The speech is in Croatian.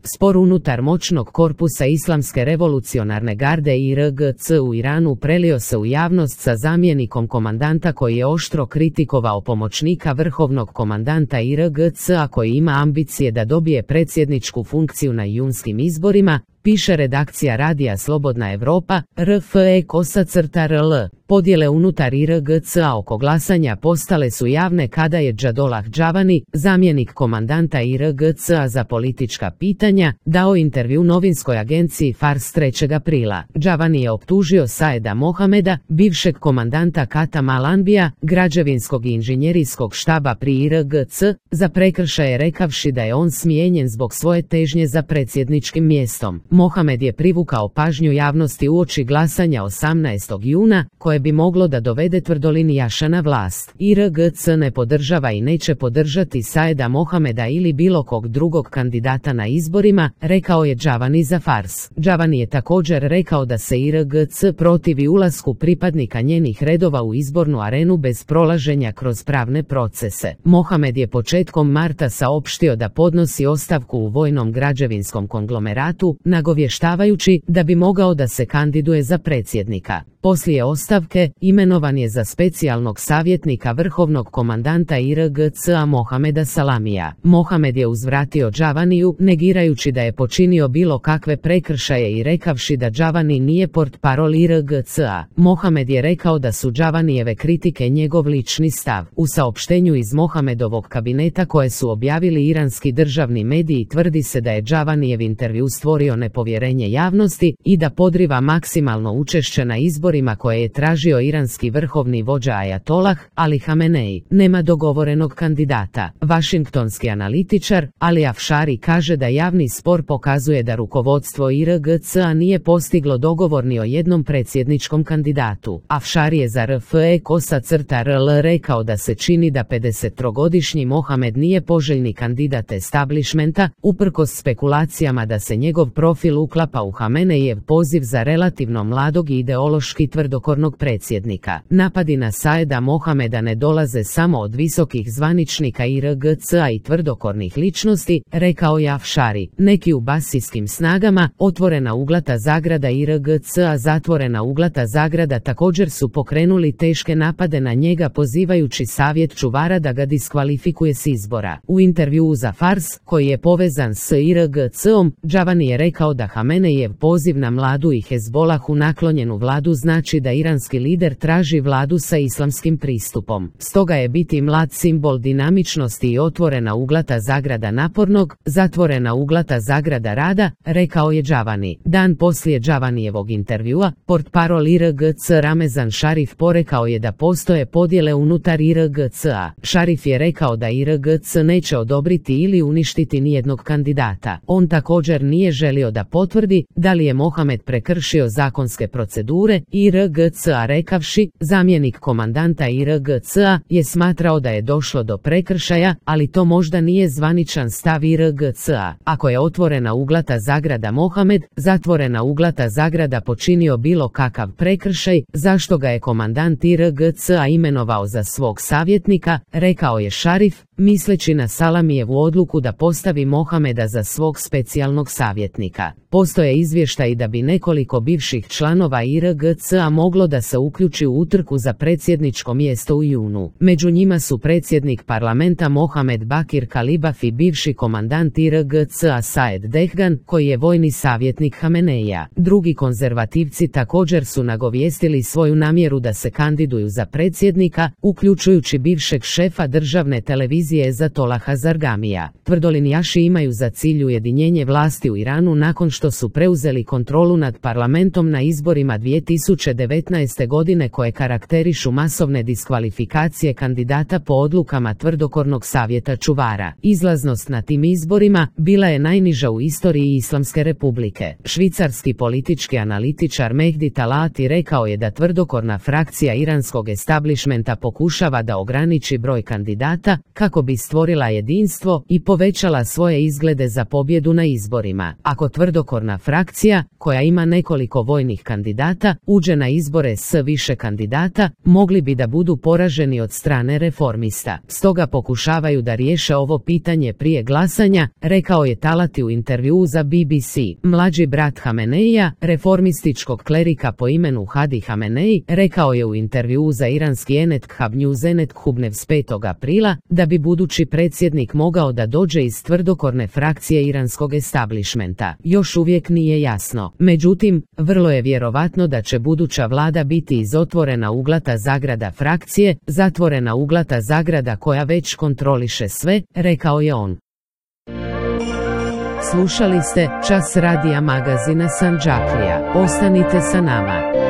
Spor unutar moćnog korpusa Islamske revolucionarne garde IRGC u Iranu prelio se u javnost sa zamjenikom komandanta koji je oštro kritikovao pomoćnika vrhovnog komandanta IRGC-a koji ima ambicije da dobije predsjedničku funkciju na junskim izborima, piše redakcija radija Slobodna Evropa, RFE-RL. Podjele unutar IRGC-a oko glasanja postale su javne kada je Džadolah Džavani, zamjenik komandanta IRGC-a za politička pitanja, dao intervju novinskoj agenciji Fars 3. aprila. Džavani je optužio Saeda Mohameda, bivšeg komandanta Katam Al-Anbija, građevinskog i inženjerijskog štaba pri IRGC, za prekršaje rekavši da je on smijenjen zbog svoje težnje za predsjedničkim mjestom. Mohamed je privukao pažnju javnosti uoči glasanja 18. juna, koje bi moglo da dovede tvrdolinijaša na vlast. IRGC ne podržava i neće podržati Saeda Mohameda ili bilo kog drugog kandidata na izborima, rekao je Džavani za Fars. Džavani je također rekao da se IRGC protivi ulasku pripadnika njenih redova u izbornu arenu bez prolaženja kroz pravne procese. Mohamed je početkom marta saopštio da podnosi ostavku u vojnom građevinskom konglomeratu, nagovještavajući da bi mogao da se kandiduje za predsjednika. Poslije ostavke, imenovan je za specijalnog savjetnika vrhovnog komandanta IRGC-a Mohameda Salamija. Mohamed je uzvratio Džavaniju, negirajući da je počinio bilo kakve prekršaje i rekavši da Džavani nije portparol IRGC-a. Mohamed je rekao da su Džavanijeve kritike njegov lični stav. U saopštenju iz Mohamedovog kabineta koje su objavili iranski državni mediji tvrdi se da je Džavanijev intervju stvorio nepovjerenje javnosti i da podriva maksimalno učešće na izborima koje je tražio iranski vrhovni vođa Ajatolah Ali Hamenei. Nema dogovorenog kandidata. Vašingtonski analitičar Ali Afšari kaže da javni spor pokazuje da rukovodstvo IRGC-a nije postiglo dogovor ni o jednom predsjedničkom kandidatu. Afšari je za RFE-RL rekao da se čini da 53-godišnji Mohamed nije poželjni kandidat establishmenta, uprkos spekulacijama da se njegov profil uklapa u Hameneijev poziv za relativno mladog i ideološki tvrdokornog predsjednika. Napadi na Saeda Mohameda ne dolaze samo od visokih zvaničnika IRGC-a i tvrdokornih ličnosti, rekao je Afšari. Neki u basijskim snagama, otvorena uglata zagrada IRGC-a zatvorena uglata zagrada također su pokrenuli teške napade na njega pozivajući savjet čuvara da ga diskvalifikuje s izbora. U intervjuu za Fars, koji je povezan s IRGC-om, Džavani je rekao da Hameneijev poziv na mladu i Hezbolahu naklonjenu vladu znači da iranski lider traži vladu sa islamskim pristupom. Stoga je biti mlad simbol dinamičnosti i otvorena uglata zagrada napornog, zatvorena uglata zagrada rada, rekao je Džavani. Dan poslije Džavanijevog intervjua, portparol IRGC Ramezan Šarif porekao je da postoje podjele unutar IRGC-a. Šarif je rekao da IRGC neće odobriti ili uništiti nijednog kandidata. On također nije želio da potvrdi da li je Mohamed prekršio zakonske procedure IRGC-a rekavši, zamjenik komandanta IRGC-a je smatrao da je došlo do prekršaja, ali to možda nije zvaničan stav IRGC-a. Ako je otvorena uglata zagrada Mohamed, zatvorena uglata zagrada počinio bilo kakav prekršaj, zašto ga je komandant IRGC-a imenovao za svog savjetnika, rekao je Šarif, misleći na Salamijevu odluku da postavi Mohameda za svog specijalnog savjetnika. Postoje izvještaji da bi nekoliko bivših članova IRGC-a moglo da se uključi u utrku za predsjedničko mjesto u junu. Među njima su predsjednik parlamenta Mohamed Bakir Kalibaf i bivši komandant IRGC-a Saed Dehgan, koji je vojni savjetnik Hameneija. Drugi konzervativci također su nagovijestili svoju namjeru da se kandiduju za predsjednika, uključujući bivšeg šefa državne televizije Ezatolaha Zargamija. Tvrdolinijaši imaju za cilj ujedinjenje vlasti u Iranu nakon što su preuzeli kontrolu nad parlamentom na izborima 2019. godine koje karakterišu masovne diskvalifikacije kandidata po odlukama tvrdokornog savjeta čuvara. Izlaznost na tim izborima bila je najniža u istoriji Islamske republike. Švicarski politički analitičar Mehdi Talati rekao je da tvrdokorna frakcija iranskog establishmenta pokušava da ograniči broj kandidata kako bi stvorila jedinstvo i povećala svoje izglede za pobjedu na izborima. Ako tvrdokorna frakcija, koja ima nekoliko vojnih kandidata, uđe izađe na izbore s više kandidata, mogli bi da budu poraženi od strane reformista. Stoga pokušavaju da riješe ovo pitanje prije glasanja, rekao je Talati u intervjuu za BBC. Mlađi brat Hameneija, reformističkog klerika po imenu Hadi Hamenei, rekao je u intervjuu za iranski Enetkhav News Enetkhubnev s 5. aprila da bi budući predsjednik mogao da dođe iz tvrdokorne frakcije iranskog establishmenta. Još uvijek nije jasno. Međutim, vrlo je vjerovatno da će buduća vlada biti iz otvorena uglata zagrada frakcije, zatvorena uglata zagrada koja već kontroliše sve, rekao je on. Slušali ste Čas radija magazina Sandžaklija. Ostanite sa nama.